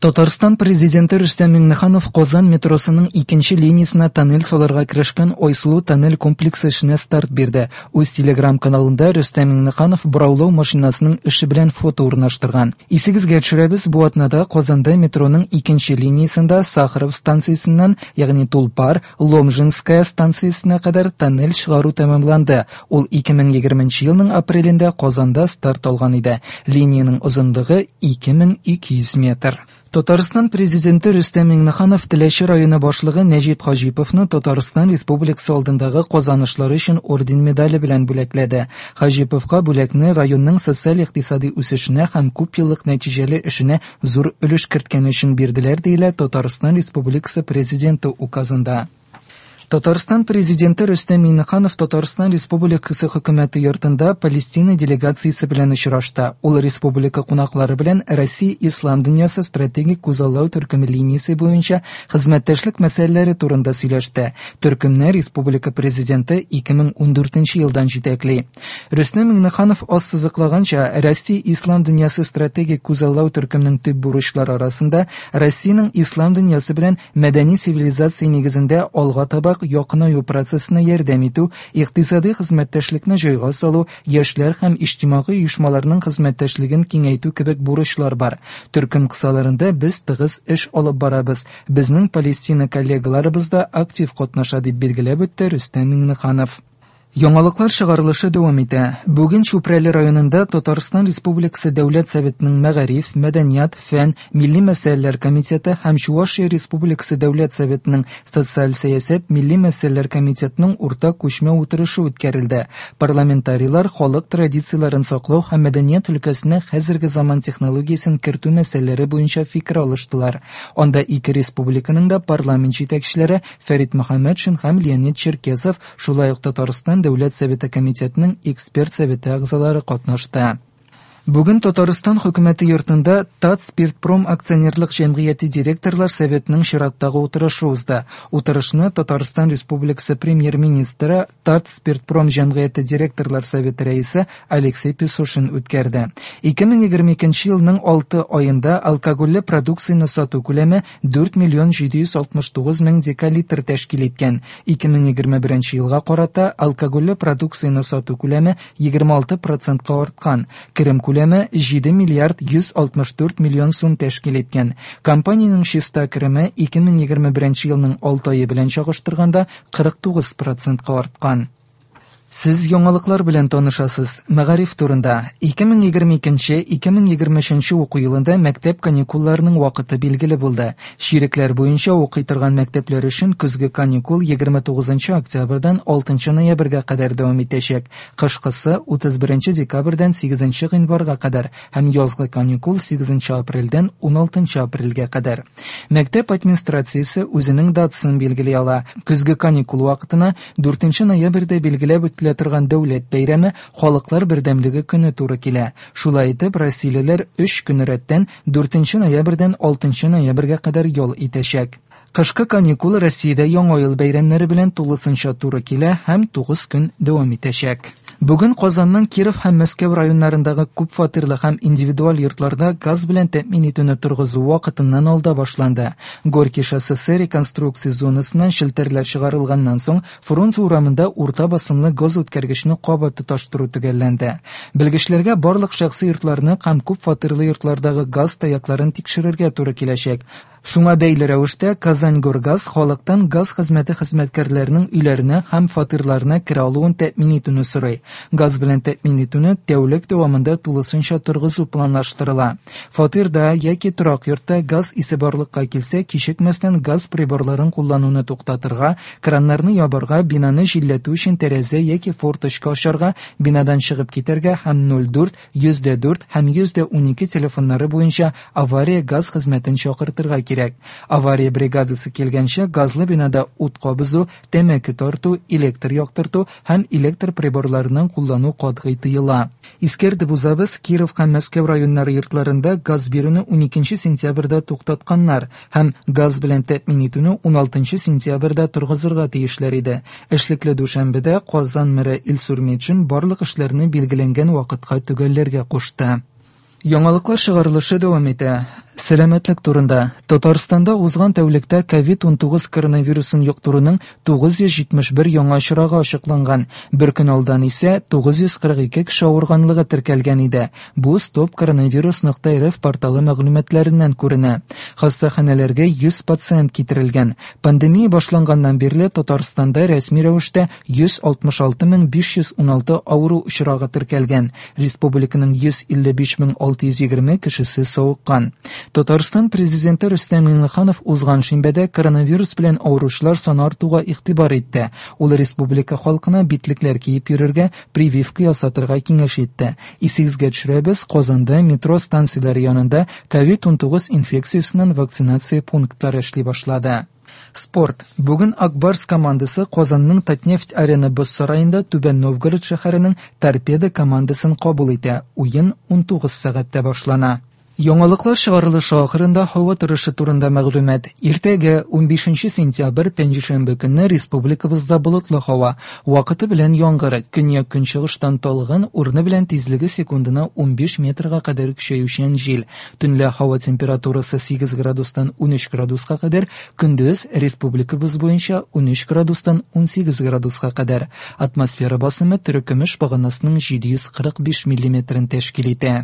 Татарстан Президенты Рөстәм Миңнеханов Казан метросының икенче линиясенә тоннель салырга керешкән Айсылу тоннель комплексы эшенә старт бирде. Үз телеграм-каналында Рөстәм Миңнеханов бораулау машинасының эше белән фото урнаштырган. Исегезгә төшерәбез, бу атнада Казанда метроның икенче линиясендә Сахаров станциясеннән, ягъни Тулпар, Ломжинская станциясенә кадәр тоннель чыгару тәмамланды. Ул 2020 елның апрелендә Казанда старт алган иде. Линиянең озынлыгы 2200 метр. Татарстан Президенты Рөстәм Миңнеханов Теләче районы башлыгы Нәҗип Хаҗиповны Татарстан Республикасы алдындагы казанышлары өчен орден медале белән бүләкләде. Хаҗиповка бүләкне районның социаль-икътисади үсешенә һәм күпьеллык нәтиҗәле эшенә зур өлеш керткәне өчен бирделәр, диелә Татарстан Республикасы Президенты указында. Татарстан Президенты Рөстәм Миңнеханов Татарстан Республикасы Хөкүмәте йортында Палестина делегациясе белән очрашты. Ул республика кунаклары белән Россия Ислам дөньясы стратегик күзаллау төркеме линиясе буенча хезмәттәшлек мәсьәләләре турында сөйләште. Төркемне республика Президенты 2014 елдан җитәкли. Рөстәм Миңнеханов ассызыклаганча, Россия Ислам дөньясы стратегик күзаллау төркеменең төп бурычлары арасында Россиянең ислам дөньясы белән мәдәни цивилизация нигезендә алга таба якынаю процессына ярдәм итү, икътисади хезмәттәшлекне җайга салу, яшьләр һәм иҗтимагый оешмаларның хезмәттәшлеген киңәйтү кебек бурычлар бар. Төркем кысаларында без тыгыз эш алып барабыз. Безнең Палестина коллегаларыбыз да актив катнаша, дип билгеләп үтте Рөстәм Миңнеханов. Яңалыклар чыгарылышы дәвам итә. Бүген Чүпрәле районында Татарстан Республикасы Дәүләт Советының Мәгариф, мәдәният, фән, милли мәсьәләләр комитеты һәм Чувашия Республикасы Дәүләт Советының Социаль сәясәт, милли мәсьәләләр комитетының уртак күчмә утырышы үткәрелде. Парламентарийлар халык традицияләрен саклау һәм мәдәният өлкәсенә хәзерге заман технологиясен кертү мәсьәләләре буенча фикер алыштылар. Анда ике республиканың да парламент җитәкчеләре Фәрит Мөхәммәтшин һәм Леонид Черкесов, шулай ук Татарстан Дәүләт Советы комитетының эксперт советы әгъзалары катнашты. Бүген Татарстан Хөкүмәте йортында Татспиртпром акционерлык җәмгыяте директорлар советының чираттагы утырышы узды. Утырышны Татарстан Республикасы Премьер-министры, Татспиртпром җәмгыяте директорлар советы рәисе Алексей Песошин үткәрде. 2022 елның 6 аенда алкогольле продукцияне сату күләме 4 миллион 769 мең декалитр тәшкил иткән. 2021 елга карата алкогольле продукцияне сату күләме 26 процентка арткан. Керем күләме 7 миллиард 164 миллион сум тәшкил иткән. Компаниянең чиста кереме 2021 елның 6 ае белән чагыштырганда 49 процентка арткан. Сез яңалыклар белән танышасыз. Мәгариф турында. 2022-2023 уку елында мәктәп каникулларының вакыты билгеле булды. Чирекләр буенча укый торган мәктәпләр өчен көзге каникул 29 октябрьдән 6 ноябрьгә кадәр дәвам итәчәк. Кышкысы 31 декабрьдән 8 гыйнварга кадәр һәм язгы каникул 8 апрельдән 16 апрельгә кадәр. Мәктәп администрациясе үзенең датасын билгели ала. Көзге каникул вакытына 4 ноябрьдә билгеләп үтелә торган дәүләт бәйрәме Халыклар бердәмлеге көне туры килә. Шулай итеп, россиялеләр 3 көн рәттән 4 ноябрьдән 6 ноябрьгә кадәр ял итәчәк. Кышкы каникул Россиядә Яңа ел бәйрәмнәре белән тулысынча туры килә һәм 9 көн дәвам итәчәк. Бүген Казанның Киров һәм Мәскәү районнарындагы күп фатирлы һәм индивидуаль йортларда газ белән тәэмин итүне торгызу вакытыннан алда башланды. Горький шоссесы реконструкция зонасыннан челтәрләр чыгарылганнан соң Фрунзе урамында урта басымлы газ үткәргечне кабат тоташтыру төгәлләнде. Белгечләргә барлык шәхси йортларны һәм күп фатирлы йортлардагы газ таякларын тикшерергә туры киләчәк. Шуңа бәйле рәвештә Казаньгоргаз халыктан газ хезмәте хезмәткәрләренең өйләренә һәм фатирларына керә алуын тәэмин итүне сорый. Газ белән тәэмин итүне тәүлек дәвамында тулысынча торгызу планлаштырыла. Фатирда яки торак йортта газ исе барлыкка килсә, кичекмәстән газ приборларын куллануны туктатырга, краннарны ябарга, бинаны җилләтү өчен тәрәзә яки форточка ачарга, бинадан чыгып китәргә һәм 04 104 һәм 112 телефоннары буенча авария газ хезмәтен чакыртырга кирәк. Авария бригадасы килгәнче газлы бинада ут кабызу, тәмәке тарту, электр яктырту һәм электр приборларының куллану катгый тыела. Искәртеп узабыз, Киров һәм Мәскәү районнары йортларында газ бирүне 12 сентябрьдә туктатканнар һәм газ белән тәэмин итүне 16 сентябрьдә торгызырга тиешләр иде. Эшлекле дүшәмбедә Казан мэры Илсур Метшин барлык эшләрне билгеләнгән вакытка төгәлләргә кушты. Яңалыклар чыгарылышы дәвам итә. Сәламәтлек турында. Татарстанда узган тәүлектә COVID-19 коронавирусын йоктыруның 971 яңа очрагы ачыкланган. Бер көн алдан исә 942 кеше авырганлыгы теркәлгән иде. Бу stopcoronavirus.rf порталы мәгълүматларыннан күренә. Хастаханәләргә 100 пациент китерелгән. Пандемия башланганнан бирле Татарстанда рәсми рәвештә 166 516 авыру очрагы теркәлгән. Республиканың 155 620 кешесе савыккан. Татарстан президенты Рөстәм Миңнеханов узган шимбәдә коронавирус белән авыручылар саны артуга игътибар итте. Ул республика халкына битлекләр киеп йөрергә, прививка ясатырга киңәш итте. Исегезгә төшерәбез, Казанда метро станцияләре янында COVID-19 инфекциясеннән вакцинация пунктлары эшли башлады. Спорт. Бүген Ак Барс командасы Казанның Татнефть Арена боз сараенда Түбән Новгород шәһәренең Торпедо командасын кабул итә. Уен 19 сәгатьтә башлана. Яңалыклар чыгарылышы ахырында һава торышы турында мәгълүмат. Иртәгә 15 сентябрь пәнҗешәмбе көнне республикабызда болытлы һава, вакыты белән яңгыр, көньяк-көнчыгыштан талгын, урыны белән тизлеге секундына 15 метрга кадәр көчәючән җил. Төнлә һава температурасы 8 градустан 13 градуска кадәр, көндез республикабыз буенча 13 градустан 18 градуска кадәр. Атмосфера басымы терекөмеш баганасының 745 миллиметрын тәшкил итә.